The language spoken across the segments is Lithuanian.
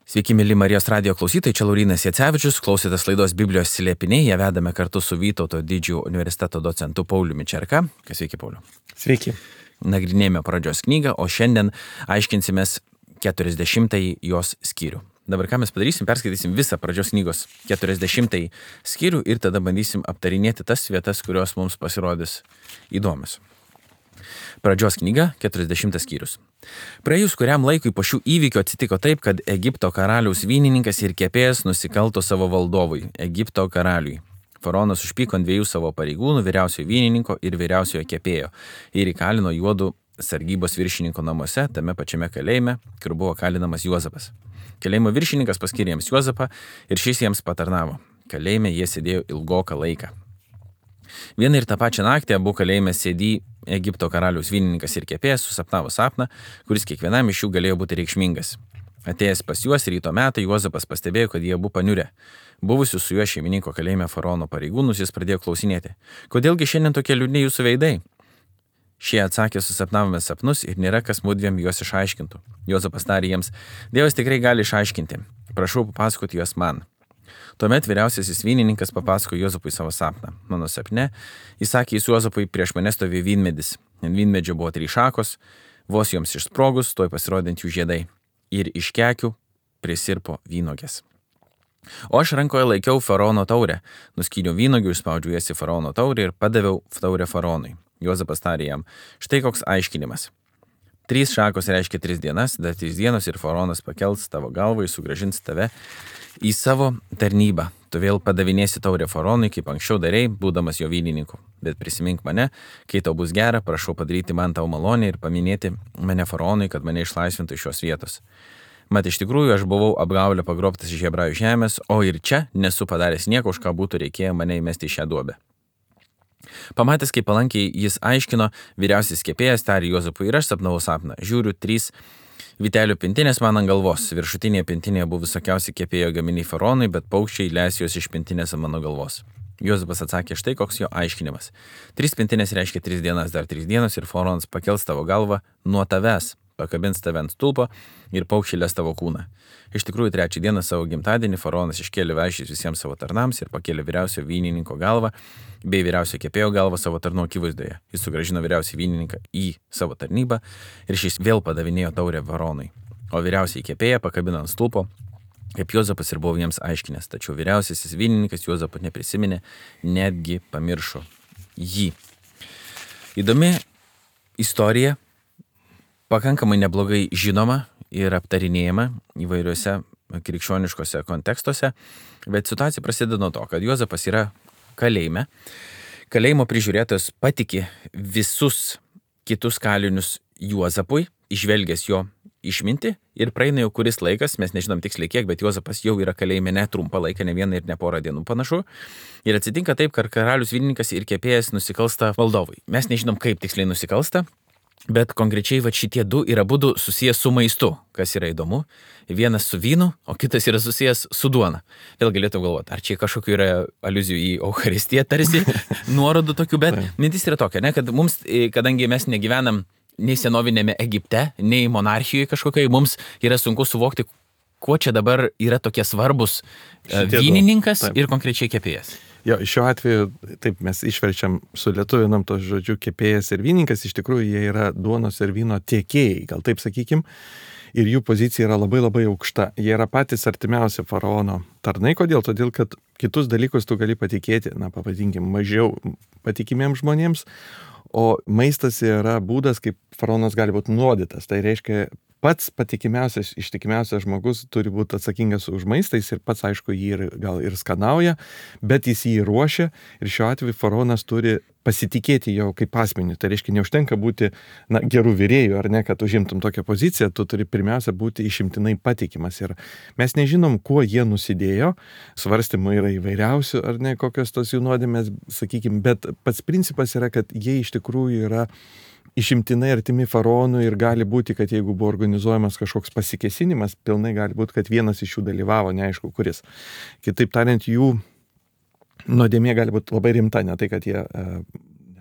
Sveiki, mėly Marijos radijo klausytojai, čia Laurynas Jacevičius, klausėtės laidos Biblijos slėpiniai, ją vedame kartu su Vytauto didžiojo universiteto docentu Pauliumi Čerka. Sveiki, Pauliu. Sveiki. Nagrinėjame pradžios knygą, o šiandien aiškinsimės 40-ąjį jos skyrių. Dabar ką mes padarysim, perskaitysim visą pradžios knygos 40-ąjį skyrių ir tada bandysim aptarinėti tas vietas, kurios mums pasirodys įdomios. Pradžios knyga, 40 skyrius. Praėjus kuriam laikui po šių įvykių atsitiko taip, kad Egipto karaliaus vynininkas ir kepėjas nusikalto savo valdovui, Egipto karaliui. Faraonas užpyko ant dviejų savo pareigūnų, vyriausiojo vynininko ir vyriausiojo kepėjo, ir įkalino juodų sargybos viršininko namuose, tame pačiame kalėjime, kur buvo kalinamas Juozapas. Kalėjimo viršininkas paskyrė jiems Juozapą ir šis jiems patarnavo. Kalėjime jie sėdėjo ilgoką laiką. Vieną ir tą pačią naktį abu kalėjime sėdį Egipto karaliaus vynininkas ir kepėjas susapnavo sapną, kuris kiekvienam iš jų galėjo būti reikšmingas. Atėjęs pas juos ryto metą, Juozapas pastebėjo, kad jie abu paniurę. Buvusius su juo šeimininko kalėjime faraono pareigūnus jis pradėjo klausinėti. Kodėlgi šiandien tokie liūdni jūsų veidai? Šie atsakė, susapnavome sapnus ir nėra kas mudviem juos išaiškintų. Juozapas tarė jiems, Dievas tikrai gali išaiškinti. Prašau papasakoti juos man. Tuomet vyriausiasis vynininkas papasako Juozapui savo sapną. Mano sapne, jis sakė Juozapui, prieš mane stovėjo vynmedis. Ant vynmedžio buvo 3 šakos, vos joms išsprogus, tuoj pasirodant jų žiedai. Ir iš kekių prisirpo vynogės. O aš rankoje laikiau faraono taurę, nuskyniau vynogių, išspaudžiau jas į faraono taurę ir padaviau taurę faraonui. Juozapas tarė jam, štai koks aiškinimas. 3 šakos reiškia 3 dienas, dar 3 dienos ir faraonas pakels tavo galvą ir sugrąžins tave į savo tarnybą. Tu vėl padavinėsi taurę faraonui, kaip anksčiau darei, būdamas jo vynininku. Bet prisimink mane, kai tau bus gera, prašau padaryti man tau malonę ir paminėti mane faraonui, kad mane išlaisvintų iš šios vietos. Mat iš tikrųjų aš buvau apgaulę pagrobtas iš Hebrajų žemės, o ir čia nesu padaręs nieko, už ką būtų reikėję mane įmesti į šią duobę. Pamatęs, kaip palankiai jis aiškino, vyriausias kepėjas tarė Juozapui ir aš sapnavau sapną. Žiūriu 3 vytelių pintinės man ant galvos. Viršutinėje pintinėje buvo visokiausi kepėjo gaminiai faraonui, bet paukščiai leis juos iš pintinės ant mano galvos. Juozapas atsakė, štai koks jo aiškinimas. 3 pintinės reiškia 3 dienas, dar 3 dienos ir faraonas pakels tavo galvą nuo tavęs, pakabins tave ant stulpo ir paukščiai les tavo kūną. Iš tikrųjų, 3 dieną savo gimtadienį faraonas iškėlė vaišės visiems savo tarnams ir pakėlė vyriausio vynininko galvą bei vyriausio kepėjo galvą savo tarnų akivaizdoje. Jis sugrąžino vyriausią vynininką į savo tarnybą ir šis vėl padavinėjo taurę faraonui. O vyriausiai kepėją pakabino ant stulpo, kaip Juozapas ir buvo jiems aiškinęs. Tačiau vyriausiasis vynininkas Juozapo neprisiminė, netgi pamiršo jį. Įdomi istorija, pakankamai neblogai žinoma ir aptarinėjama įvairiuose krikščioniškose kontekstuose, bet situacija prasideda nuo to, kad Juozapas yra kalėjime. Kalėjimo prižiūrėtojas patiki visus kitus kalinius Juozapui, išvelgęs jo išmintį ir praeina jau kuris laikas, mes nežinom tiksliai kiek, bet Juozapas jau yra kalėjime ne trumpą laiką, ne vieną ir ne porą dienų panašu. Ir atsitinka taip, kad karalius vynininkas ir kepėjas nusikalsta valdovui. Mes nežinom, kaip tiksliai nusikalsta. Bet konkrečiai šitie 2 yra abudu susijęs su maistu, kas yra įdomu. Vienas su vynu, o kitas yra susijęs su duona. Vėl galėtų galvoti, ar čia kažkokių yra aliuzijų į Eucharistiją tarsi, nuorodų tokių, bet mintis yra tokia, ne, kad mums, kadangi mes negyvenam nei senovinėme Egipte, nei monarchijoje kažkokiai, mums yra sunku suvokti, kuo čia dabar yra tokie svarbus vynininkas ir konkrečiai kepėjas. Jo, šiuo atveju, taip, mes išverčiam, sulietuvinam tos žodžiu kepėjas ir vynininkas, iš tikrųjų jie yra duonos ir vyno tiekėjai, gal taip sakykim, ir jų pozicija yra labai labai aukšta. Jie yra patys artimiausi faraono tarnai, kodėl? Todėl, kad kitus dalykus tu gali patikėti, pavadinkim, mažiau patikimiems žmonėms, o maistas yra būdas, kaip faraonas gali būti nuodytas. Tai reiškia, pats patikimiausias, ištikimiausias žmogus turi būti atsakingas už maistą, jis ir pats, aišku, jį gal ir skanauja, bet jis jį ruošia ir šiuo atveju faraonas turi pasitikėti jau kaip asmenį. Tai reiškia, neužtenka būti gerų virėjų, ar ne, kad užimtum tokią poziciją, tu turi pirmiausia būti išimtinai patikimas. Ir mes nežinom, kuo jie nusidėjo, svarstymų yra įvairiausių, ar ne, kokios tos jų nuodėmės, sakykim, bet pats principas yra, kad jie iš tikrųjų yra išimtinai artimi faraonui ir gali būti, kad jeigu buvo organizuojamas kažkoks pasikėsinimas, pilnai gali būti, kad vienas iš jų dalyvavo, neaišku kuris. Kitaip tariant, jų nuodėmė gali būti labai rimta, ne tai, kad jie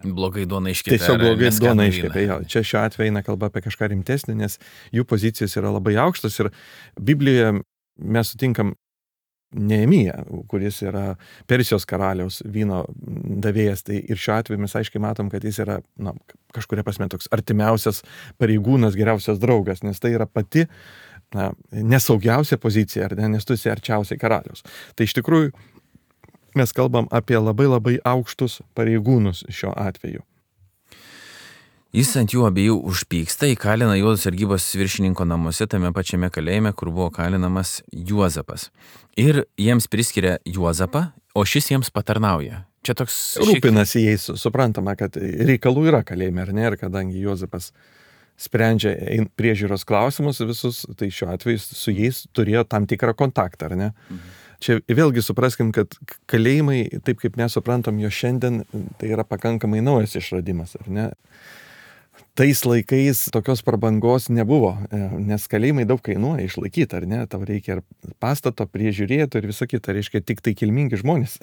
blogai duona iškepė. Tiesiog blogai duona iškepė. Čia šiuo atveju eina kalba apie kažką rimtesnį, nes jų pozicijos yra labai aukštos ir Biblijoje mes sutinkam Neemiją, kuris yra Persijos karaliaus vyno davėjas, tai ir šiuo atveju mes aiškiai matom, kad jis yra kažkuria prasme toks artimiausias pareigūnas, geriausias draugas, nes tai yra pati nesaugiausia pozicija, nes tu esi arčiausiai karaliaus. Tai iš tikrųjų mes kalbam apie labai labai aukštus pareigūnus šiuo atveju. Jis ant jų abiejų užpyksta, įkalina juos sargybos viršininko namuose, tame pačiame kalėjime, kur buvo kalinamas Juozapas. Ir jiems priskiria Juozapą, o šis jiems patarnauja. Čia toks... Rūpinasi jais, suprantama, kad reikalų yra kalėjime, ar ne, ir kadangi Juozapas sprendžia priežiūros klausimus visus, tai šiuo atveju su jais turėjo tam tikrą kontaktą, ar ne? Čia vėlgi supraskim, kad kalėjimai, taip kaip mes suprantam jo šiandien, tai yra pakankamai naujas išradimas, ar ne? Tais laikais tokios prabangos nebuvo, nes kalėjimai daug kainuoja išlaikyti, ar ne? Tau reikia ir pastato, priežiūrėtų ir visą kitą, reiškia tik tai kilmingi žmonės.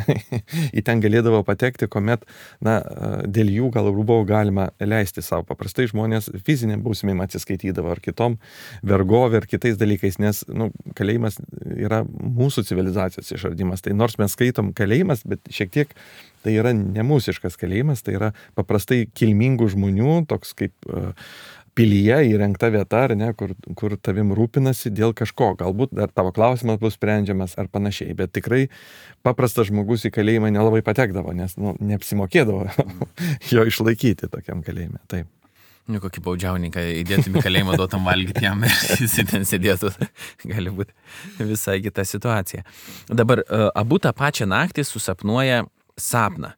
Į ten galėdavo patekti, kuomet, dėl jų gal buvo galima leisti savo. Paprastai žmonės fiziniam bausmėm atsiskaitydavo ar kitom vergovė ar kitais dalykais, nes kalėjimas yra mūsų civilizacijos išradimas. Tai nors mes skaitom kalėjimas, bet šiek tiek tai yra nemūsiškas kalėjimas, tai yra paprastai kilmingų žmonių, toks kaip pilyje įrengta vieta, ar ne, kur tavim rūpinasi dėl kažko. Galbūt dar tavo klausimas bus sprendžiamas ar panašiai, bet tikrai paprastas žmogus į kalėjimą nelabai patekdavo, nes neapsimokėdavo jo išlaikyti tokiam kalėjime. Taip. Kokį baudžiauninką įdėtum į kalėjimą, duotam valgyti jam ir jis ten sėdėtų. Gali būti visai kita situacija. Dabar abu tą pačią naktį susapnuoja sapną.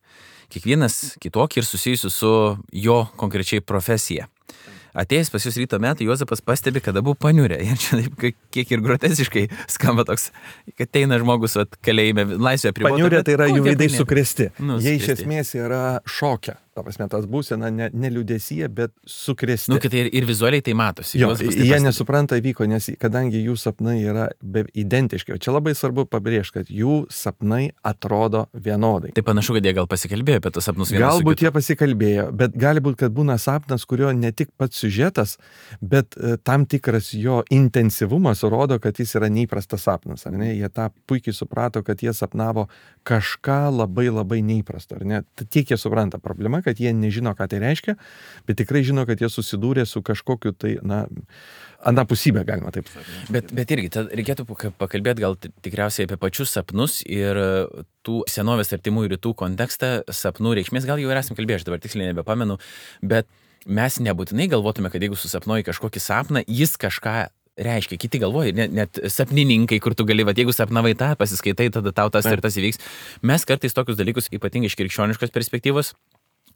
Kiekvienas kitokį ir susijusiu su jo konkrečiai profesija. Atėjęs pas jūs ryto metą, Juozapas pastebi, kad abu paniurė. Ir čia taip kiek ir groteziškai skamba toks, kad eina žmogus kalėjime laisvėje apribota. Paniurė tai yra jų veidai sukrėsti. Jie iš esmės yra šoke. Ta prasme, tas būsena ne liūdesyje, bet sukrėsti. Kad ir vizualiai tai matosi. Jie nesupranta įvyko, nes kadangi jų sapnai yra identiški. Čia labai svarbu pabrėžti, kad jų sapnai atrodo vienodai. Tai panašu, kad jie gal pasikalbėjo apie tos sapnus vienas. Galbūt jie pasikalbėjo, bet gali būti, kad būna sapnas, kurio ne tik pats siužetas, bet tam tikras jo intensyvumas rodo, kad jis yra neįprastas sapnas. Ar ne? Jie tą puikiai suprato, kad jie sapnavo kažką labai labai neįprasto. Ar ne? Tiek jie supranta problema, kad jie nežino, ką tai reiškia, bet tikrai žino, kad jie susidūrė su kažkokiu tai, anapusybę, galima taip sakyti. Bet irgi, reikėtų pakalbėti gal tikriausiai apie pačius sapnus ir tų senovės artimųjų rytų kontekstą, sapnų reikšmės, gal jau ir esame kalbėję, aš dabar tiksliai nebepamenu, bet mes nebūtinai galvotume, kad jeigu susapnuoji kažkokį sapną, jis kažką reiškia. Kiti galvoja, net sapnininkai, kur tu gali, jeigu sapnavai tą, pasiskaitai, tada tau tas ir tas įvyks. Mes kartais tokius dalykus, ypatingai iš krikščioniškos perspektyvos,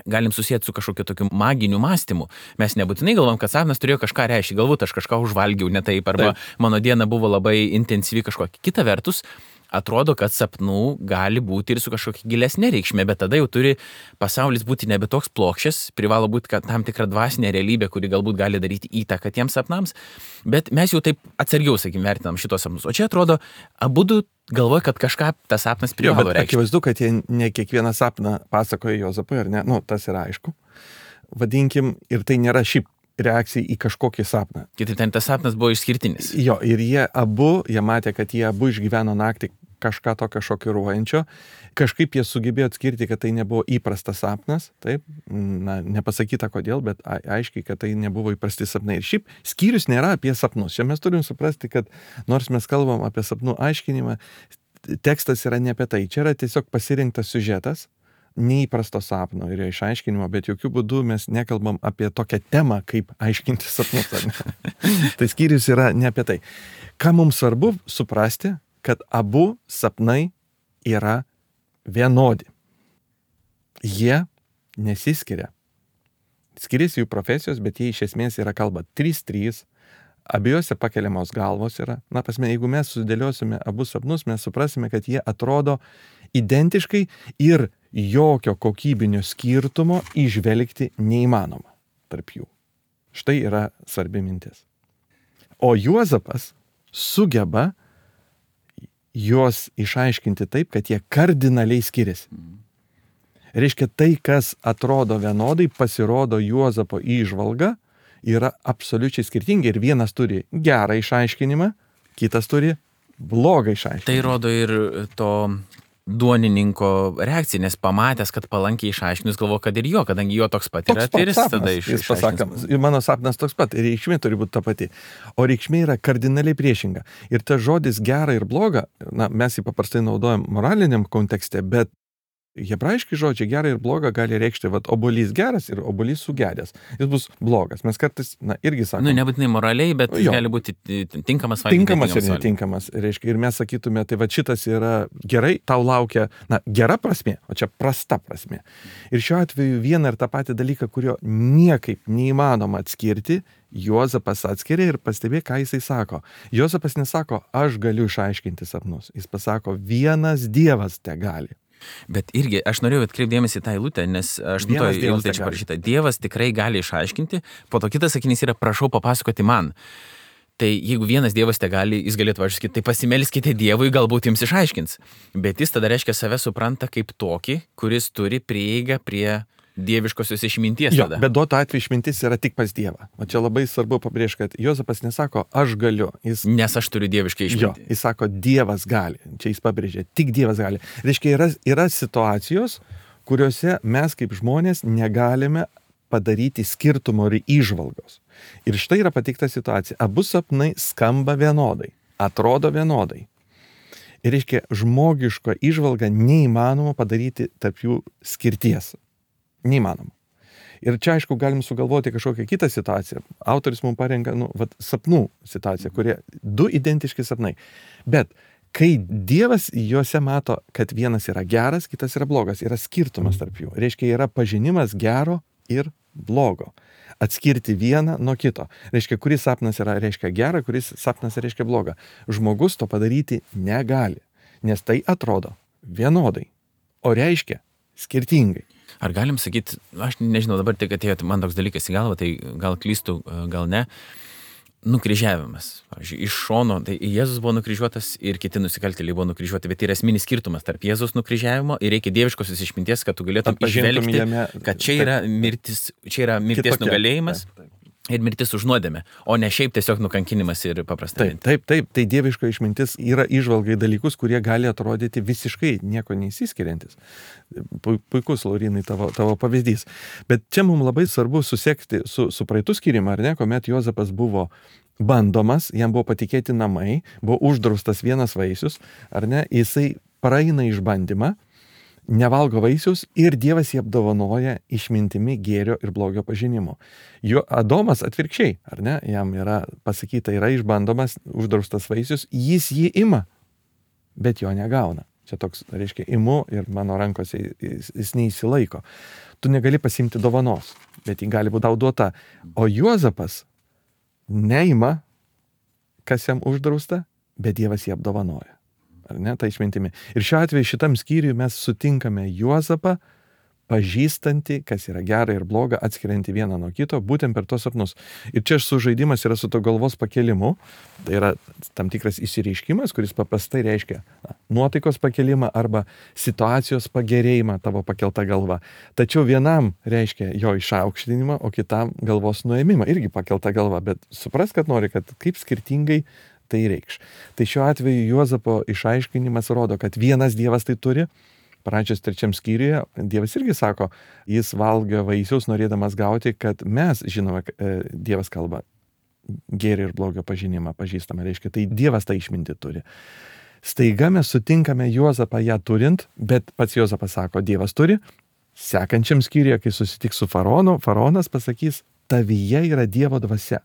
galim susijęti su kažkokiu tokiu maginiu mąstymu. Mes nebūtinai galvom, kad sapnas turėjo kažką reiškia. Galbūt aš kažką užvalgiau ne taip, arba mano diena buvo labai intensyvi kažkokia. Kita vertus, atrodo, kad sapnų gali būti ir su kažkokia gilesnė reikšmė, bet tada jau turi pasaulis būti nebe toks plokščias, privalo būti tam tikra dvasinė realybė, kuri galbūt gali daryti įtaką tiems sapnams, bet mes jau taip atsargiau, vertinam šitos sapnus. O čia atrodo, abudu galvoja, kad kažką tas sapnas privalo reikšti. Akivaizdu, kad jie ne kiekvieną sapną pasakoja Juozapui, ar ne? Tas yra aišku. Vadinkim, ir tai nėra šiaip reakcija į kažkokį sapną. Kitaip ten tas sapnas buvo išskirtinis. Ir jie matė, kad jie abu išgyveno naktį kažką tokio šokiruojančio. Kažkaip jie sugebėjo atskirti, kad tai nebuvo įprastas sapnas, taip, nepasakyta kodėl, bet aiškiai, kad tai nebuvo įprasti sapnai. Ir šiaip skyrius nėra apie sapnus. Čia mes turim suprasti, kad nors mes kalbam apie sapnų aiškinimą, tekstas yra ne apie tai. Čia yra tiesiog pasirinktas siužetas, neįprasto sapno ir jo išaiškinimo, bet jokių būdų mes nekalbam apie tokią temą, kaip aiškinti sapnus. Tai skyrius yra ne apie tai. Ką mums svarbu suprasti, kad abu sapnai yra vienodi. Jie nesiskiria. Skiriasi jų profesijos, bet jie iš esmės yra kalba 3-3, abiejose pakeliamos galvos yra. Jeigu mes sudėliosime abu sapnus, mes suprasime, kad jie atrodo identiškai ir jokio kokybinio skirtumo įžvelgti neįmanoma tarp jų. Štai yra svarbi mintis. O Juozapas sugeba juos išaiškinti taip, kad jie kardinaliai skiriasi. Reiškia, tai, kas atrodo vienodai, pasirodo Juozapo įžvalga, yra absoliučiai skirtingi ir vienas turi gerą išaiškinimą, kitas turi blogą išaiškinimą. Tai rodo ir to duonininko reakcija, nes pamatęs, kad palankiai išaiškinus, galvo, kad ir jo, kadangi jo toks pat yra, tai jis pasako, mano sapnas toks pat, reikšmė turi būti ta pati, o reikšmė yra kardinaliai priešinga. Ir tas žodis gera ir bloga, mes jį paprastai naudojam moraliniam kontekste, bet hebrajiški žodžiai gera ir bloga gali reikšti, obuolys geras ir obuolys sugedęs. Jis bus blogas. Mes kartais, irgi sakome. Nebūtinai moraliai, bet gali būti tinkamas valgyti. Tinkamas ir netinkamas. Reiškia, ir mes sakytume, tai šitas yra gerai, tau laukia, gera prasmė, o čia prasta prasmė. Ir šiuo atveju vieną ir tą patį dalyką, kurio niekaip neįmanoma atskirti, Juozapas atskiria ir pastebė, ką jisai sako. Juozapas nesako, aš galiu išaiškinti sapnus. Jis pasako, vienas Dievas te gali. Bet irgi, aš norėjau atkreipdėmėsi tą eilutę, nes aš nutoju eilutę čia parašyta. Dievas tikrai gali išaiškinti, po to kitas sakinys yra, prašau papasakoti man. Tai jeigu vienas Dievas te gali, jis galėtų sakyti, tai pasimelskite Dievui, galbūt jums išaiškins. Bet jis tada reiškia save supranta kaip tokį, kuris turi prieigą prie dieviškosios išminties tada. Bet duoto atveju išmintis yra tik pas Dievą. O čia labai svarbu pabrėžti, kad Juozapas nesako, aš galiu. Nes aš turiu dievišką išmintį. Jis sako, Dievas gali. Čia jis pabrėžia, tik Dievas gali. Reiškia, yra situacijos, kuriuose mes kaip žmonės negalime padaryti skirtumo ir įžvalgos. Ir štai yra pateikta situacija. Abu sapnai skamba vienodai, atrodo vienodai. Ir reiškia, žmogiško įžvalga neįmanoma padaryti tarp jų skirties. Neįmanoma. Ir čia, aišku, galim sugalvoti kažkokią kitą situaciją. Autoris mums parenka, sapnų situaciją, kurie du identiški sapnai. Bet kai Dievas juose mato, kad vienas yra geras, kitas yra blogas, yra skirtumas tarp jų. Reiškia, yra pažinimas gero ir blogo. Atskirti vieną nuo kito. Reiškia, kuris sapnas yra reiškia gerą, kuris sapnas reiškia blogą. Žmogus to padaryti negali, nes tai atrodo vienodai, o reiškia skirtingai. Ar galim sakyti, aš nežinau, dabar tik atėjo man toks dalykas į galvą, tai gal klystu, gal ne, nukryžiavimas. Pavyzdžiui, iš šono, tai Jėzus buvo nukryžiuotas ir kiti nusikaltėliai buvo nukryžiuoti, bet yra esminis skirtumas tarp Jėzus nukryžiavimo ir reikia dieviškosios išminties, kad tu galėtum išvelgti, kad čia yra mirties nugalėjimas. Ir mirtis už nuodėmę, o ne šiaip tiesiog nukankinimas ir paprastai. Taip, tai dieviška išmintis yra įžvalgai dalykus, kurie gali atrodyti visiškai nieko neįsiskiriantis. Puikus, Laurinai, tavo pavyzdys. Bet čia mums labai svarbu susekti su praeitų skyrimą, ar ne, kuomet Juozapas buvo bandomas, jam buvo patikėti namai, buvo uždraustas vienas vaisius, ar ne, jisai praeina išbandymą, nevalgo vaisius ir Dievas jį apdovanoja išmintimi gėrio ir blogio pažinimu. Adomas atvirkščiai, ar ne, jam yra pasakyta, yra išbandomas, uždraustas vaisius, jis jį ima, bet jo negauna. Čia toks, reiškia, imu ir mano rankose jis neįsilaiko. Tu negali pasimti dovanos, bet jį gali būti tau duota. O Juozapas neima, kas jam uždrausta, bet Dievas jį apdovanoja. Ar ne, ta išmintimi. Ir šiuo atveju šitam skyriui mes sutinkame Juozapą, pažįstantį, kas yra gera ir bloga, atskirianti vieną nuo kito, būtent per tos sapnus. Ir čia sužaidimas yra su to galvos pakelimu, tai yra tam tikras išsireiškimas, kuris paprastai reiškia nuotaikos pakelimą arba situacijos pagerėjimą, tavo pakelta galva. Tačiau vienam reiškia jo išaukštinimą, o kitam galvos nuėmimą, irgi pakelta galva, bet supras, kad nori, kad kaip skirtingai tai reikš. Tai šiuo atveju Juozapo išaiškinimas rodo, kad vienas Dievas tai turi. Pradžios 3 skyriuje Dievas irgi sako, jis valgo vaisius norėdamas gauti, kad mes žinome, Dievas kalba gėrio ir blogio pažinimą, pažįstama, reiškia, tai Dievas tą išmintį turi. Staiga mes sutinkame Juozapą ją turint, bet pats Juozapas sako, Dievas turi. Sekančiam skyriuje, kai susitiks su faraonu, faraonas pasakys, tavyje yra Dievo dvasia.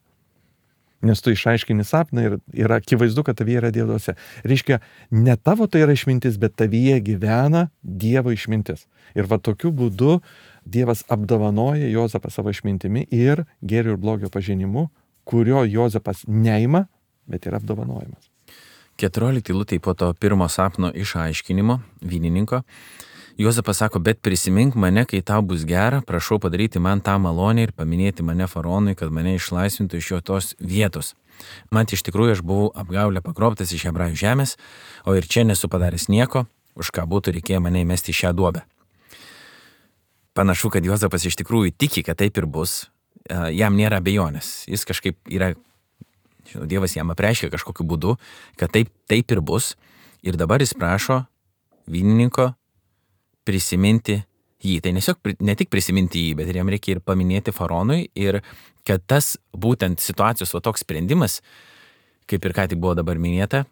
Nes tu išaiškini sapną ir yra akivaizdu, kad tavyje yra Dievo dvasia. Reiškia, ne tavo tai yra išmintis, bet tavyje gyvena Dievo išmintis. Ir va tokiu būdu Dievas apdovanoja Juozapą savo išmintimi ir gėrio ir blogio pažinimu, kurio Juozapas neima, bet yra apdovanojimas. 14 eilutė po to pirmo sapno išaiškinimo vynininko. Juozapas sako, bet prisimink mane, kai tau bus gera, prašau padaryti man tą malonę ir paminėti mane faraonui, kad mane išlaisvintų iš jo tos vietos. Man iš tikrųjų aš buvau apgaulę pagrobtas iš Hebrajų žemės, o ir čia nesu padaręs nieko, už ką būtų reikėję mane įmesti į šią duobę. Panašu, kad Juozapas iš tikrųjų tiki, kad taip ir bus, jam nėra abejonės, jis kažkaip yra Žinau, Dievas jam apreiškia kažkokiu būdu, kad taip ir bus. Ir dabar jis prašo vynininko prisiminti jį. Tai ne tik prisiminti jį, bet ir jam reikia ir paminėti faraonui. Ir kad tas būtent situacijos toks sprendimas, kaip ir ką tik buvo dabar minėta,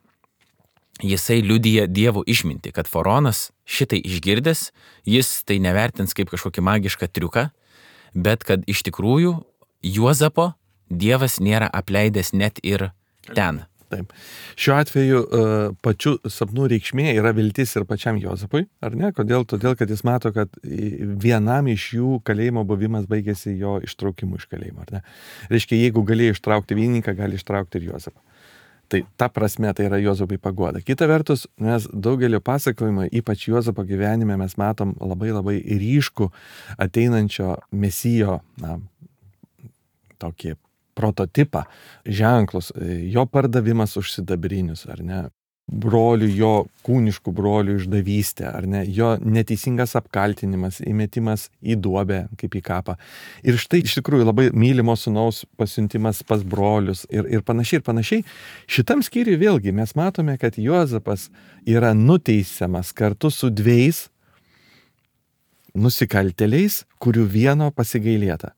jisai liudija Dievo išmintį, kad faraonas šitai išgirdęs, jis tai nevertins kaip kažkokį magišką triuką, bet kad iš tikrųjų Juozapo Dievas nėra apleidęs net ir ten. Taip. Šiuo atveju pačių sapnų reikšmė yra viltis ir pačiam Juozapui, ar ne? Kodėl? Todėl, kad jis mato, kad vienam iš jų kalėjimo buvimas baigėsi jo ištraukimu iš kalėjimo, ar ne? Reiškia, jeigu galėjo ištraukti vynininką, gali ištraukti ir Juozapą. Tai ta prasme tai yra Juozapui paguoda. Kita vertus, mes daugelio pasakojimo, ypač Juozapo gyvenime, mes matom labai ryškų ateinančio Mesijo, tokį prototipą, ženklus, jo pardavimas už sidabrinius, ar ne, brolių, jo kūniškų brolių išdavystė, ar ne, jo neteisingas apkaltinimas, įmetimas į duobę, kaip į kapą. Ir štai iš tikrųjų labai mylimo sūnaus pasiuntimas pas brolius ir panašiai. Šitam skyriui vėlgi mes matome, kad Juozapas yra nuteisiamas kartu su dviejais nusikaltėliais, kurių vieno pasigailėta.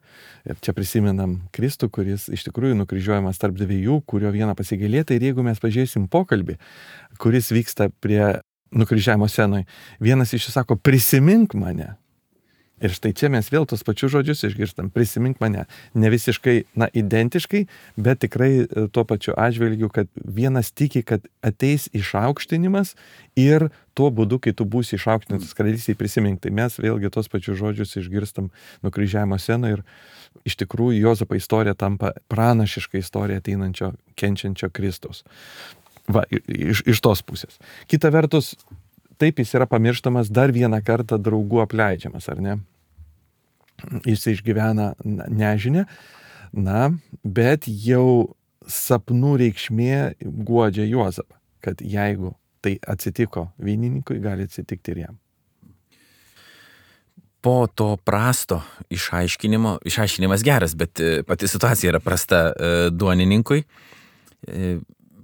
Ir čia prisimenam Kristų, kuris iš tikrųjų nukryžiuojamas tarp dviejų, kurio vieno pasigailėta. Ir jeigu mes pažiūrėsim pokalbį, kuris vyksta prie nukryžiavimo scenoje, vienas iš jų sako, prisimink mane. Ir štai čia mes vėl tos pačius žodžius išgirstam, prisimink mane. Ne visiškai, identiškai, bet tikrai tuo pačiu atžvilgiu, kad vienas tiki, kad ateis išaukštinimas ir tuo būdu, kai tu būsi išaukštintas karalystėje, prisimink. Tai mes vėlgi tos pačius žodžius išgirstam nukryžiavimo scenoje ir iš tikrųjų Juozapo istorija tampa pranašiška istorija ateinančio, kenčiančio Kristaus. Va, iš tos pusės. Kita vertus, taip jis yra pamirštamas dar vieną kartą draugų apleidžiamas, ar ne? Jis išgyvena nežinę, bet jau sapnų reikšmė guodžia Juozapą, kad jeigu tai atsitiko vynininkui, gali atsitikti ir jam. Po to prasto išaiškinimas geras, bet pati situacija yra prasta duonininkui.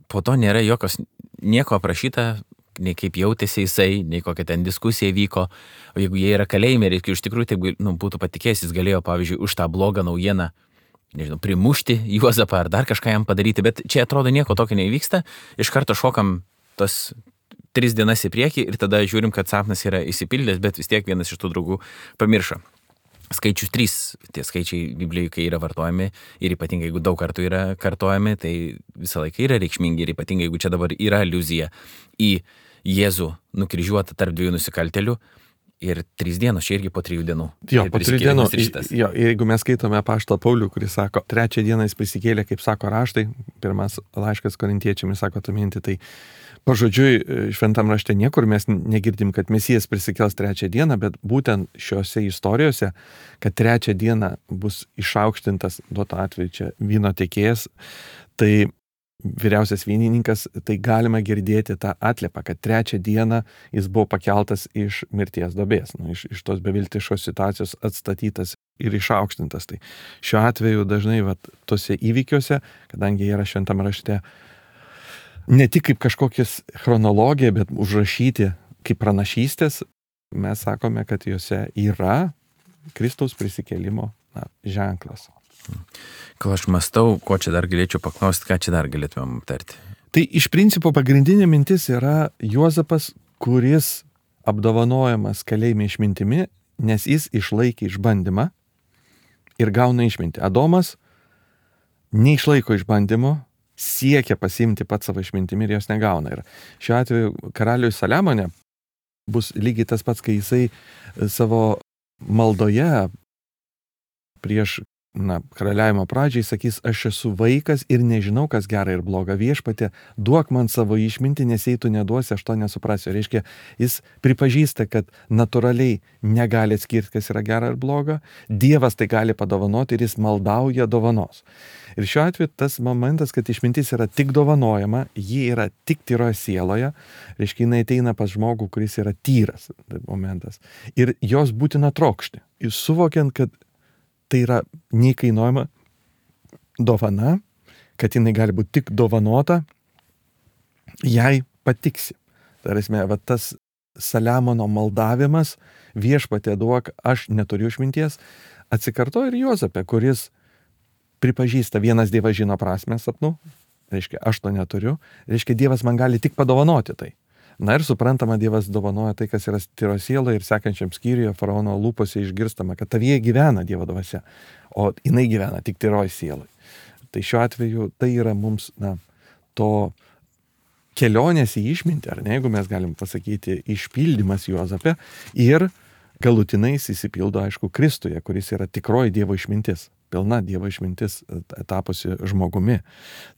Po to nėra nieko aprašyta, nei kaip jautėsi jisai, nei kokia ten diskusija vyko. O jeigu jie yra kalėjime, reikia iš tikrųjų taip būtų patikėjęs, jis galėjo, pavyzdžiui, už tą blogą naujieną, primušti Juozapą ar dar kažką jam padaryti, bet čia atrodo nieko tokio neįvyksta. Iš karto šokam tos 3 dienas į priekį ir tada žiūrim, kad sapnas yra įsipildęs, bet vis tiek vienas iš tų draugų pamiršo. Skaičius 3, tie skaičiai Biblijoje, kai yra vartojami ir ypatingai, jeigu daug kartų yra kartojami, tai visą laiką yra reikšmingi ir ypatingai, jeigu čia dabar yra aliuzija į Jėzų nukryžiuotą tarp 2 nusikaltelių ir 3 dienos, čia irgi po 3 dienų. Jo, po 3 dienų. Jo, jeigu mes skaitome apaštalą Paulių, kuris sako, 3 dieną jis prisikėlė, kaip sako raštai, pirmas laiškas korintiečiams sako tą mintį, tai pažodžiui, šventam rašte niekur mes negirdim, kad Mesijas prisikels 3 dieną, bet būtent šiuose istorijose, kad 3 dieną bus išaukštintas, duoto atveju čia vyno tiekėjas, tai vyriausias vynininkas, tai galima girdėti tą atliepą, kad 3 dieną jis buvo pakeltas iš mirties duobės, iš tos beviltiškos situacijos atstatytas ir išaukštintas. Tai šiuo atveju dažnai tose įvykiuose, kadangi jie yra šventam rašte, ne tik kaip kažkokias chronologija, bet užrašyti kaip pranašystės, mes sakome, kad juose yra Kristaus prisikėlimo ženklas. Kol aš mąstau, ko čia dar galėčiau paklausti, ką čia dar galėtumėm aptarti? Tai iš principo pagrindinė mintis yra Juozapas, kuris apdovanojamas kalėjime išmintimi, nes jis išlaikė išbandymą ir gauna išmintį. Adomas neišlaiko išbandymo, siekia pasiimti pat savo išmintimi ir jos negauna. Ir šiuo atveju karaliui Saliamone bus lygiai tas pats, kai jisai savo maldoje prieš karaliavimo pradžiai sakys, aš esu vaikas ir nežinau, kas gera ir bloga. Viešpatie, duok man savo išmintį, nes jei tu neduosi, aš to nesuprasiu. Reiškia, jis pripažįsta, kad natūraliai negali atskirti, kas yra gera ir bloga. Dievas tai gali padovanoti ir jis maldauja dovanos. Ir šiuo atveju tas momentas, kad išmintis yra tik dovanojama, ji yra tik tyroje sieloje, reiškia, jinai ateina pas žmogų, kuris yra tyras momentas. Ir jos būtina trokšti. Ir suvokiant, kad tai yra neįkainuojama dovana, kad jinai gali būti tik dovanota, jai patiksi. Tarasme, va tas Saliamono maldavimas, viešpatie duok, aš neturiu išminties, atsikartoja ir Juozape, kuris pripažįsta, vienas Dievas žino prasmę sapnų, reiškia, aš to neturiu, reiškia, Dievas man gali tik padovanoti tai. Na ir suprantama, Dievas dovanoja tai, kas yra tyro siela, ir sekančiam skyriuje faraono lūpose išgirstama, kad tavyje gyvena Dievo dvasia, o jinai gyvena tik tyroj sielai. Tai šiuo atveju tai yra mums, to kelionės į išmintį, ar ne, jeigu mes galim pasakyti, išpildymas Juozape, ir galutinai įsipildo, aišku, Kristuje, kuris yra tikroji Dievo išmintis, pilna Dievo išmintis tapusi žmogumi.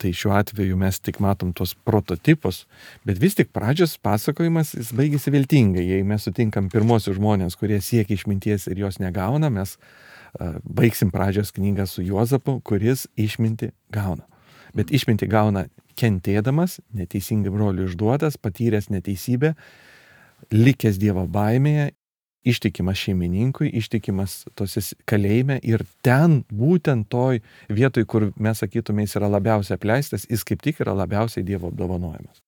Tai šiuo atveju mes tik matom tos prototipus, bet vis tik pradžios pasakojimas jis baigėsi viltingai. Jei mes sutinkam pirmosius žmonės, kurie siekia išminties ir jos negauna, mes baigsim pradžios knygą su Juozapu, kuris išmintį gauna. Bet išmintį gauna kentėdamas, neteisingai brolių išduotas, patyręs neteisybę, likęs Dievo baimėje, ištikimas šeimininkui, ištikimas tose kalėjime, ir ten būtent toj vietoj, kur mes sakytume, jis yra labiausiai apleistas, jis kaip tik yra labiausiai Dievo apdovanojimas.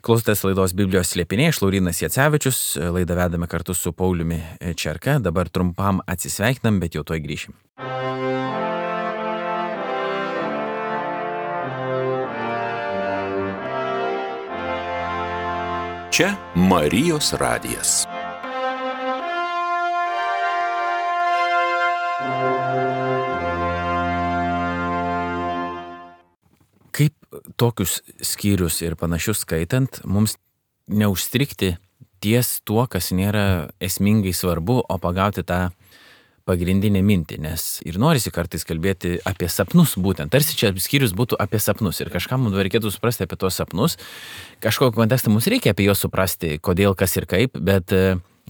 Klausotės laidos Biblijos slėpiniai, aš Laurynas Jacevičius, laidą vedame kartu su Pauliumi Čerka, dabar trumpam atsisveikinam, bet jau tuoj grįšim. Čia Marijos radijas. Kaip tokius skyrius ir panašius skaitant, mums neužstrikti ties tuo, kas nėra esmingai svarbu, o pagauti tą pagrindinę mintį, nes ir norisi kartais kalbėti apie sapnus būtent. Tarsi čia skyrius būtų apie sapnus ir kažkam mums reikėtų suprasti apie tos sapnus. Kažkokį kontekstą mums reikia apie juos suprasti, kodėl, kas ir kaip, bet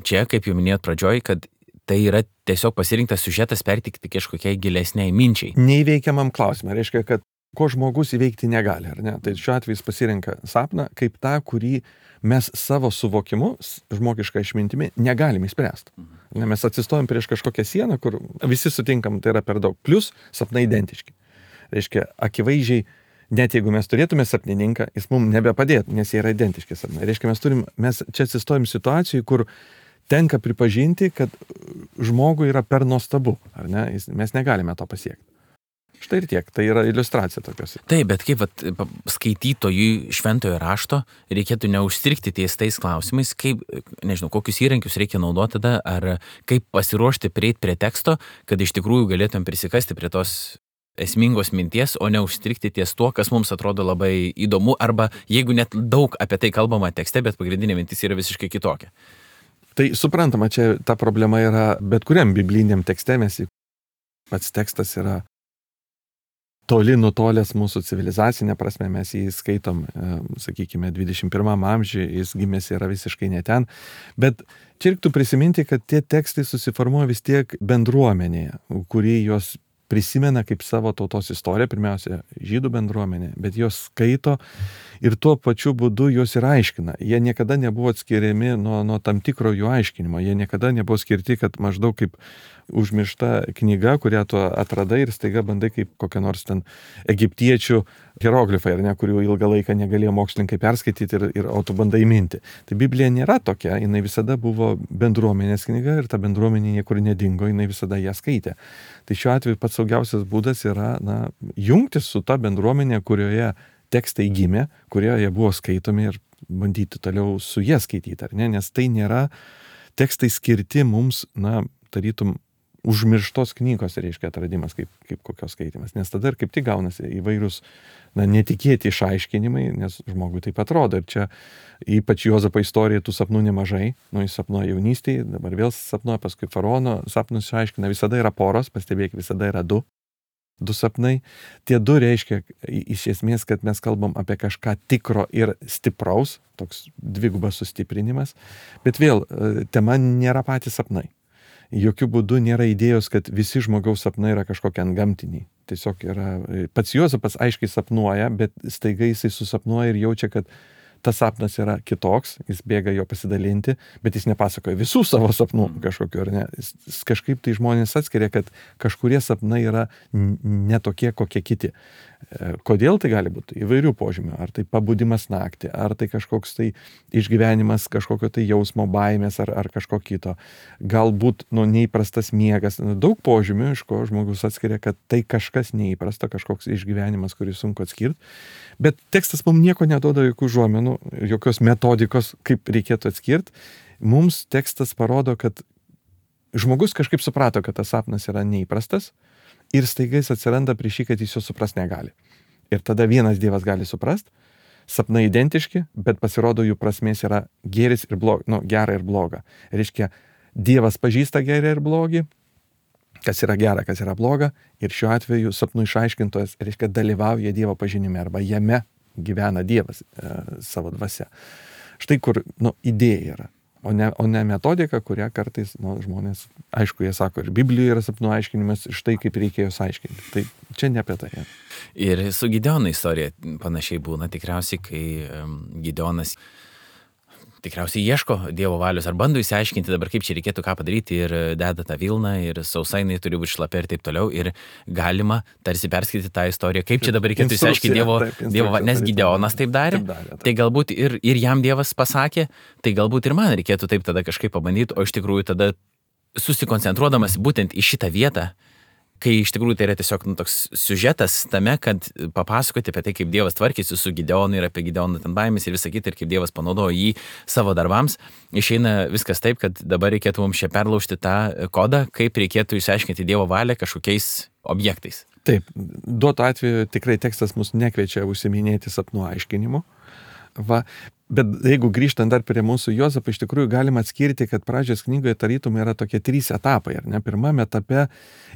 čia, kaip jau minėjot pradžioj, kad tai yra tiesiog pasirinktas siužetas pertikti kažkokiai gilesniai minčiai. Neįveikiamam klausimui, reiškia, kad ko žmogus įveikti negali, ar ne? Tai šiuo atveju jis pasirenka sapną kaip tą, kurį mes savo suvokimu, žmogišką išmintimi, negalim išspręsti. Mes atsistojam prieš kažkokią sieną, kur visi sutinkam, tai yra per daug. Plius sapnai identiški. Reiškia, akivaizdžiai, net jeigu mes turėtume sapnininką, jis mums nebepadėtų, nes jie yra identiški sapnai. Reiškia, mes čia atsistojam situacijai, kur tenka pripažinti, kad žmogui yra per nuostabu, ar ne? Mes negalime to pasiekti. Štai ir tiek, tai yra iliustracija tokios. Taip, bet kaip skaitytojui šventojo rašto reikėtų neužstrikti ties tais klausimais, kaip, nežinau, kokius įrankius reikia naudoti tada, ar kaip pasiruošti prieiti prie teksto, kad iš tikrųjų galėtum prisikasti prie tos esmingos minties, o neužstrikti ties tuo, kas mums atrodo labai įdomu, arba jeigu net daug apie tai kalbama tekste, bet pagrindinė mintis yra visiškai kitokia. Tai suprantama, čia ta problema yra bet kuriam bibliniam tekste, pats tekstas yra toli nutolęs mūsų civilizacinė prasme, mes jį skaitom, sakykime, 21 amžiuje, jis gimęs yra visiškai ne ten, bet čia reiktų prisiminti, kad tie tekstai susiformuoja vis tiek bendruomenėje, kuri juos prisimena kaip savo tautos istoriją, pirmiausia, žydų bendruomenė, bet jos skaito ir tuo pačiu būdu jos ir aiškina. Jie niekada nebuvo atskiriami nuo tam tikro jų aiškinimo, jie niekada nebuvo skirti, kad maždaug kaip užmiršta knyga, kurią tu atradai ir staiga bandai kaip kokia nors ten egiptiečių hieroglifai, ar ne, kurių ilgą laiką negalėjo mokslininkai perskaityti o tu bandai minti. Tai Biblija nėra tokia, jinai visada buvo bendruomenės knyga ir ta bendruomenė niekur nedingo, jinai visada ją skaitė. Tai šiuo atveju pats saugiausias būdas yra jungtis su ta bendruomenė, kurioje tekstai gimė, kurioje buvo skaitomi ir bandyti toliau su jie skaityti, ar ne, nes tai nėra tekstai skirti mums, tarytum, užmirštos knygos, reiškia, atradimas kaip kokios skaitimas, nes tada ir kaip tik gaunasi įvairūs netikėti išaiškinimai, nes žmogui taip atrodo. Ir čia ypač Juozapo istorijoje tų sapnų nemažai, jis sapnuoja jaunystėje, dabar vėl sapnuoja, paskui faraono sapnus išaiškina, visada yra poros, pastebėk, visada yra du sapnai. Tie du reiškia iš esmės, kad mes kalbam apie kažką tikro ir stipraus, toks dvigubas sustiprinimas, bet vėl tema nėra patys sapnai. Jokių būdų nėra idėjos, kad visi žmogaus sapnai yra kažkokie antgamtiniai. Tiesiog yra, pats Juozapas aiškiai sapnuoja, bet staiga jisai susapnuoja ir jaučia, kad tas sapnas yra kitoks, jis bėga jo pasidalinti, bet jis nepasakoja visų savo sapnų kažkokiu, ar ne. Jis kažkaip tai žmonės atskiria, kad kažkurie sapnai yra netokie, kokie kiti. Kodėl tai gali būti? Įvairių požymių. Ar tai pabudimas naktį, ar tai kažkoks tai išgyvenimas, kažkokio tai jausmo baimės, ar kažko kito. Galbūt neįprastas miegas. Daug požymių, iš ko žmogus atskiria, kad tai kažkas neįprasta, kažkoks išgyvenimas, kurį sunku atskirti. Bet tekstas mums nieko neduoda, jokių žuomenų, jokios metodikos, kaip reikėtų atskirti. Mums tekstas parodo, kad žmogus kažkaip suprato, kad tas sapnas yra neįprastas ir staiga jis atsiranda prieš jį, kad jis jo supras negali. Ir tada vienas Dievas gali suprast, sapnai identiški, bet pasirodo jų prasmės yra gėris ir bloga, gera ir bloga. Reiškia, Dievas pažįsta gerą ir blogį, kas yra gera, kas yra bloga, ir šiuo atveju sapnų išaiškintojas, reiškia, dalyvauja Dievo pažinime arba jame gyvena Dievas savo dvasia. Štai kur idėja yra, o ne metodika, kurią kartais žmonės, aišku, jie sako, ir Biblijoje yra sapnų aiškinimas, štai kaip reikėjo aiškinti. Tai čia ne apie tai. Ir su Gideono istorija panašiai būna tikriausiai, kai Gideonas tikriausiai ieško Dievo valios ar bando įsiaiškinti dabar, kaip čia reikėtų ką padaryti ir deda tą vilną ir sausainai turi būti šlapia ir taip toliau. Ir galima tarsi perskaityti tą istoriją, kaip čia dabar reikėtų įsiaiškinti Dievo valią, nes Gideonas taip darė. Tai galbūt ir jam Dievas pasakė, tai galbūt ir man reikėtų taip tada kažkaip pabandyti, o iš tikrųjų tada susikoncentruodamas būtent į šitą vietą, kai iš tikrųjų tai yra tiesiog toks siužetas tame, kad papasakoti apie tai, kaip Dievas tvarkėsi su Gideonu ir apie Gideono ten baimės ir visą kitą, ir kaip Dievas panaudojo jį savo darbams, išeina viskas taip, kad dabar reikėtų mums čia perlaužti tą kodą, kaip reikėtų išsiaiškinti Dievo valią kažkokiais objektais. Taip, duotu atveju tikrai tekstas mus nekviečia užsiminėti sapnų aiškinimu. Bet jeigu grįžtant dar prie mūsų Juozapo, iš tikrųjų galima atskirti, kad pradžios knygoje tarytum yra tokie 3 etapai. Ar ne? Pirmame etape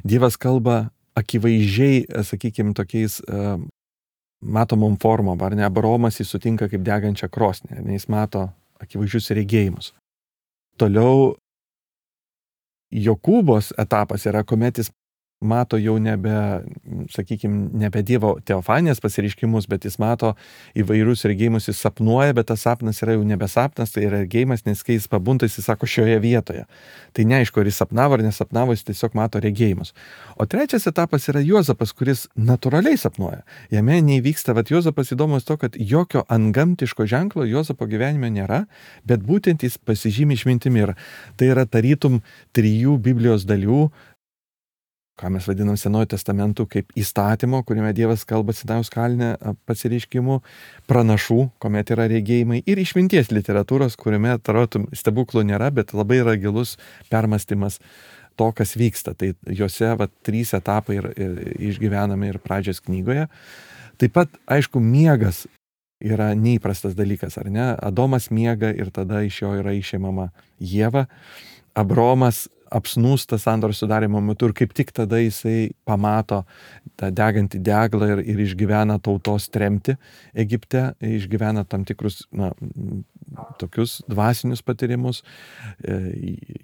Dievas kalba akivaizdžiai, sakykime, tokiais matomom formom. Ar ne? Abraomas jis sutinka kaip degančią krosnį, jis mato akivaizdžius regėjimus. Toliau Jokūbos etapas yra, kuomet jis mato jau nebe Dievo teofanijos pasireiškimus, bet jis mato įvairius regėjimus, jis sapnuoja, bet tas sapnas yra jau nebe sapnas, tai yra regėjimas, nes kai jis pabunda, jis sako šioje vietoje. Tai neaišku, ar jis sapnavo ar nesapnavo, jis tiesiog mato regėjimus. O trečias etapas yra Juozapas, kuris natūraliai sapnuoja. Jame neįvyksta, Juozapas įdomus to, kad jokio antgamtiško ženklo Juozapo gyvenime nėra, bet būtent jis pasižymi išmintimi. Ir tai yra tarytum 3 Biblijos dalių, ką mes vadinam Senuoju testamentu, kaip įstatymo, kuriame Dievas kalba Sinajaus kalne pasireiškimų, pranašų, kuomet yra regėjimai, ir išminties literatūros, kuriame tarotum stebuklų nėra, bet labai yra gilus permąstymas to, kas vyksta. Tai juose 3 etapai ir išgyvename ir pradžios knygoje. Taip pat, aišku, miegas yra neįprastas dalykas, ar ne? Adomas miega ir tada iš jo yra išėmama Ieva. Abraomas apsnūsta sandoros sudarimo metu ir kaip tik tada jisai pamato tą degantį deglą ir išgyvena tautos tremtį Egipte, išgyvena tam tikrus tokius dvasinius patyrimus.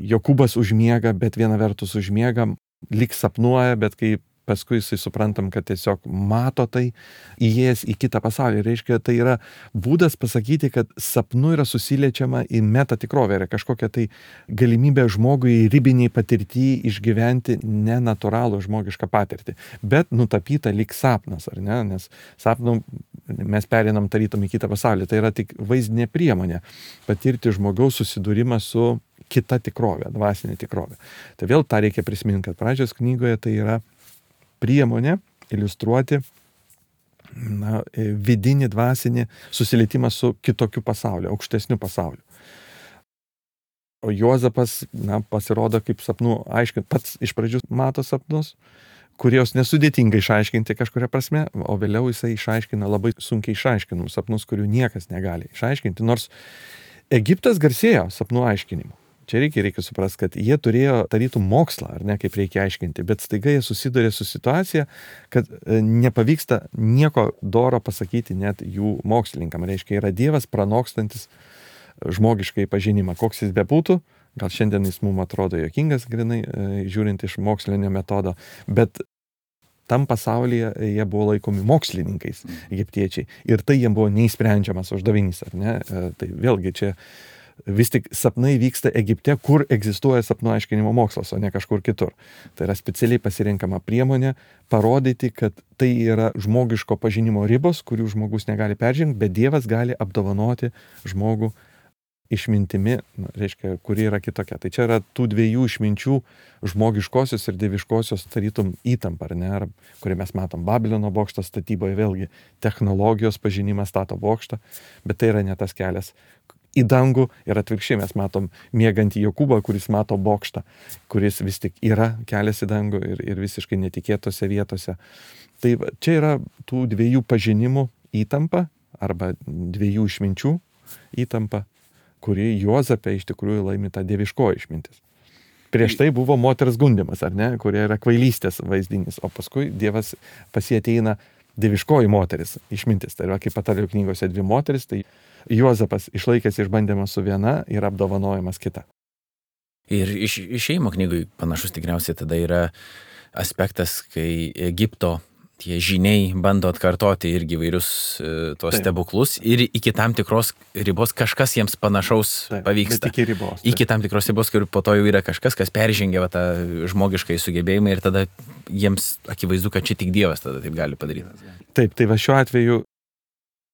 Jokūbas užmiega, bet viena vertus užmiega, lyg sapnuoja, bet kai paskui jisai suprantam, kad tiesiog mato tai, įėjęs į kitą pasaulį. Reiškia, tai yra būdas pasakyti, kad sapnu yra susiliečiama į metatikrovę, yra kažkokia tai galimybė žmogui ribiniai patirtį išgyventi nenatūralų žmogišką patirtį, bet nutapyta lyg sapnas, ar ne? Nes sapnu mes perinam tarytum į kitą pasaulį. Tai yra tik vaizdinė priemonė patirti žmogaus susidūrimą su kita tikrovė, dvasinė tikrovė. Tai vėl tą reikia prisiminti, kad pradžios knygoje tai yra priemonė iliustruoti vidinį dvasinį susilietimą su kitokiu pasauliu, aukštesniu pasauliu. O Juozapas pasirodo kaip sapnų aiškinti, pats iš pradžių mato sapnus, kurios nesudėtingai išaiškinti kažkuria prasme, o vėliau jisai išaiškina labai sunkiai išaiškinamus sapnus, kurių niekas negali išaiškinti, nors Egiptas garsėjo sapnų aiškinimu. Čia reikia suprasti, kad jie turėjo tarytum mokslą, ar ne, kaip reikia aiškinti, bet staiga jie susiduria su situacija, kad nepavyksta nieko doro pasakyti net jų mokslininkam. Reiškia, yra Dievas pranokstantis žmogiškai pažinimą, koks jis bebūtų, gal šiandien jis mums atrodo juokingas, grinai, žiūrint iš mokslinio metodo, bet tam pasaulyje jie buvo laikomi mokslininkais, egiptiečiai. Ir tai jiems buvo neįsprendžiamas uždavinys, ar ne? Tai vėlgi čia vis tik sapnai vyksta Egipte, kur egzistuoja sapnų aiškinimo mokslas, o ne kažkur kitur. Tai yra specialiai pasirinkama priemonė parodyti, kad tai yra žmogiško pažinimo ribos, kurių žmogus negali peržengti, bet Dievas gali apdovanoti žmogų išmintimi, reiškia, kuri yra kitokia. Tai čia yra tų dviejų išminčių, žmogiškosios ir dieviškosios tarytum įtampa, ar ne, kurį mes matom Babilono bokšto statyboje, vėlgi technologijos pažinimas stato bokštą, bet tai yra ne tas kelias į dangų ir atvirkščiai mes matom miegantį Jokūbą, kuris mato bokštą, kuris vis tik yra kelias į dangų ir visiškai netikėtose vietose. Tai čia yra tų dviejų pažinimų įtampa arba dviejų išminčių įtampa, kuri Juozape iš tikrųjų laimi tą dieviškoji išmintis. Prieš tai buvo moters gundymas, ar ne, kurie yra kvailystės vaizdinys, o paskui Dievas pas jį ateina dieviškoji moteris, išmintis. Tai yra kaip Patarlių knygose dvi moteris, tai Juozapas išlaikęs išbandymą su viena ir apdovanojimas kita. Ir išėjimo knygui panašus tikriausiai tada yra aspektas, kai Egipto tie žiniai bando atkartoti irgi vairius tos stebuklus ir iki tam tikros ribos kažkas jiems panašaus pavyksta. Bet iki ribos. Iki tam tikros ribos, kur po to jau yra kažkas, kas peržengia tą žmogiškai sugebėjimą ir tada jiems akivaizdu, kad čia tik Dievas tada taip gali padaryti. Taip, tai va šiuo atveju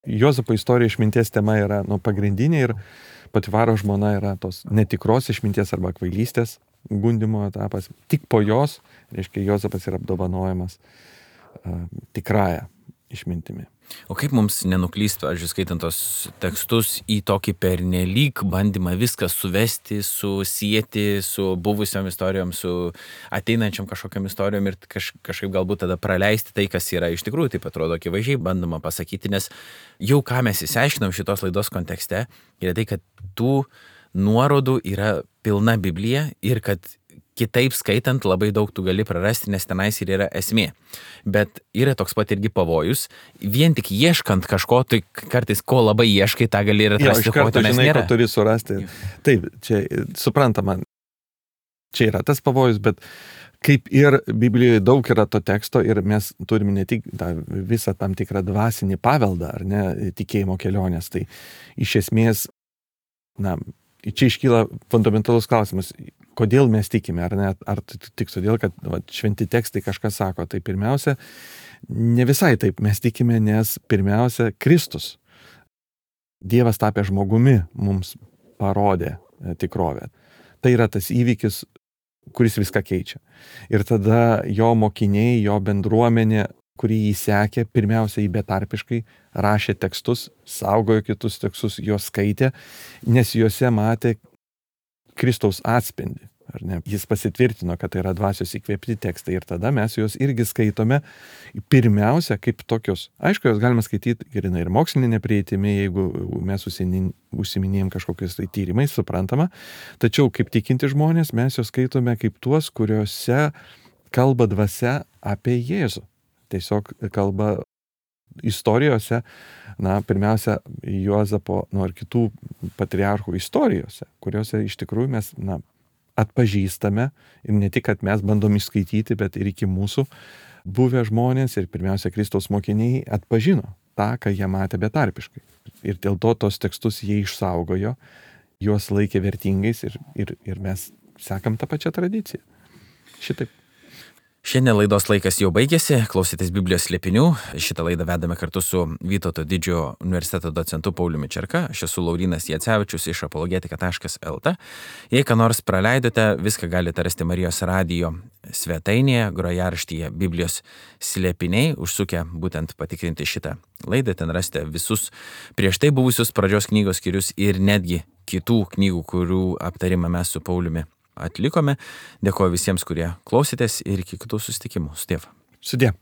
Juozapo istorija išminties tema yra pagrindinė ir Potifaro žmona yra tos netikros išminties arba kvailystės gundymo etapas. Tik po jos, reiškia, Juozapas yra apdovanojamas tikrąją išmintimi. O kaip mums nenuklyst, pavyzdžiui, skaitant tos tekstus į tokį pernelyg bandymą viską suvesti, susijęti su buvusiom istorijom, su ateinančiam kažkokiam istorijom ir kažkaip galbūt tada praleisti tai, kas yra iš tikrųjų, taip atrodo akivaizdžiai bandoma pasakyti, nes jau ką mes įsiaiškinom šitos laidos kontekste, yra tai, kad tų nuorodų yra pilna Biblija ir kad kitaip skaitant labai daug tu gali prarasti, nes tenais ir yra esmė. Bet yra toks pat irgi pavojus, vien tik ieškant kažko, tai kartais ko labai ieškai, tą gali ir atrasti, ko tenais nėra. Ko turi surasti. Taip, čia suprantama, čia yra tas pavojus, bet kaip ir Biblijoje daug yra to teksto ir mes turime ne tik visą tam tikrą dvasinį paveldą, ar ne, tikėjimo kelionės, tai iš esmės, čia iškyla fundamentalus klausimas, kodėl mes tikime, ar ne, ar tik todėl, kad šventi tekstai kažkas sako. Tai pirmiausia, ne visai taip mes tikime, nes pirmiausia, Kristus, Dievas tapę žmogumi, mums parodė tikrovę. Tai yra tas įvykis, kuris viską keičia. Ir tada jo mokiniai, jo bendruomenė, kurį jį sekė, pirmiausia, jį betarpiškai rašė tekstus, saugojo kitus tekstus, juos skaitė, nes juose matė Kristaus atspindį. Ar ne? Jis pasitvirtino, kad tai yra dvasios įkvėpti tekstai ir tada mes juos irgi skaitome pirmiausia kaip tokius. Aišku, juos galima skaityti ir mokslinė prieitimi, jeigu mes užsiminėjom kažkokiais tai tyrimais, suprantama. Tačiau kaip tikinti žmonės mes juos skaitome kaip tuos, kuriuose kalba dvasia apie Jėzų. Tiesiog kalba istorijose, pirmiausia, Juozapo ir kitų patriarchų istorijose, kuriuose iš tikrųjų mes atpažįstame ir ne tik, kad mes bandom išskaityti, bet ir iki mūsų buvę žmonės ir pirmiausia Kristaus mokiniai atpažino tą, ką jie matė betarpiškai. Ir dėl to tos tekstus jie išsaugojo, juos laikė vertingais ir mes sekam tą pačią tradiciją. Šitaip. Šiandien laidos laikas jau baigėsi, klausytis Biblijos slėpinių. Šitą laidą vedame kartu su Vytauto Didžiojo universiteto docentu Pauliumi Čerka. Aš esu Laurynas Jacevičius iš apologetika.lt. Jei ką nors praleidote, viską galite rasti Marijos radijo svetainėje, grojaraštyje Biblijos slėpiniai. Užsukę būtent patikrinti šitą laidą, ten rasite visus prieš tai buvusius pradžios knygos skyrius ir netgi kitų knygų, kurių aptarimą mes su Pauliumi atlikome. Dėkuoju visiems, kurie klausėtės ir iki kitų susitikimų. Sudie. Sudie.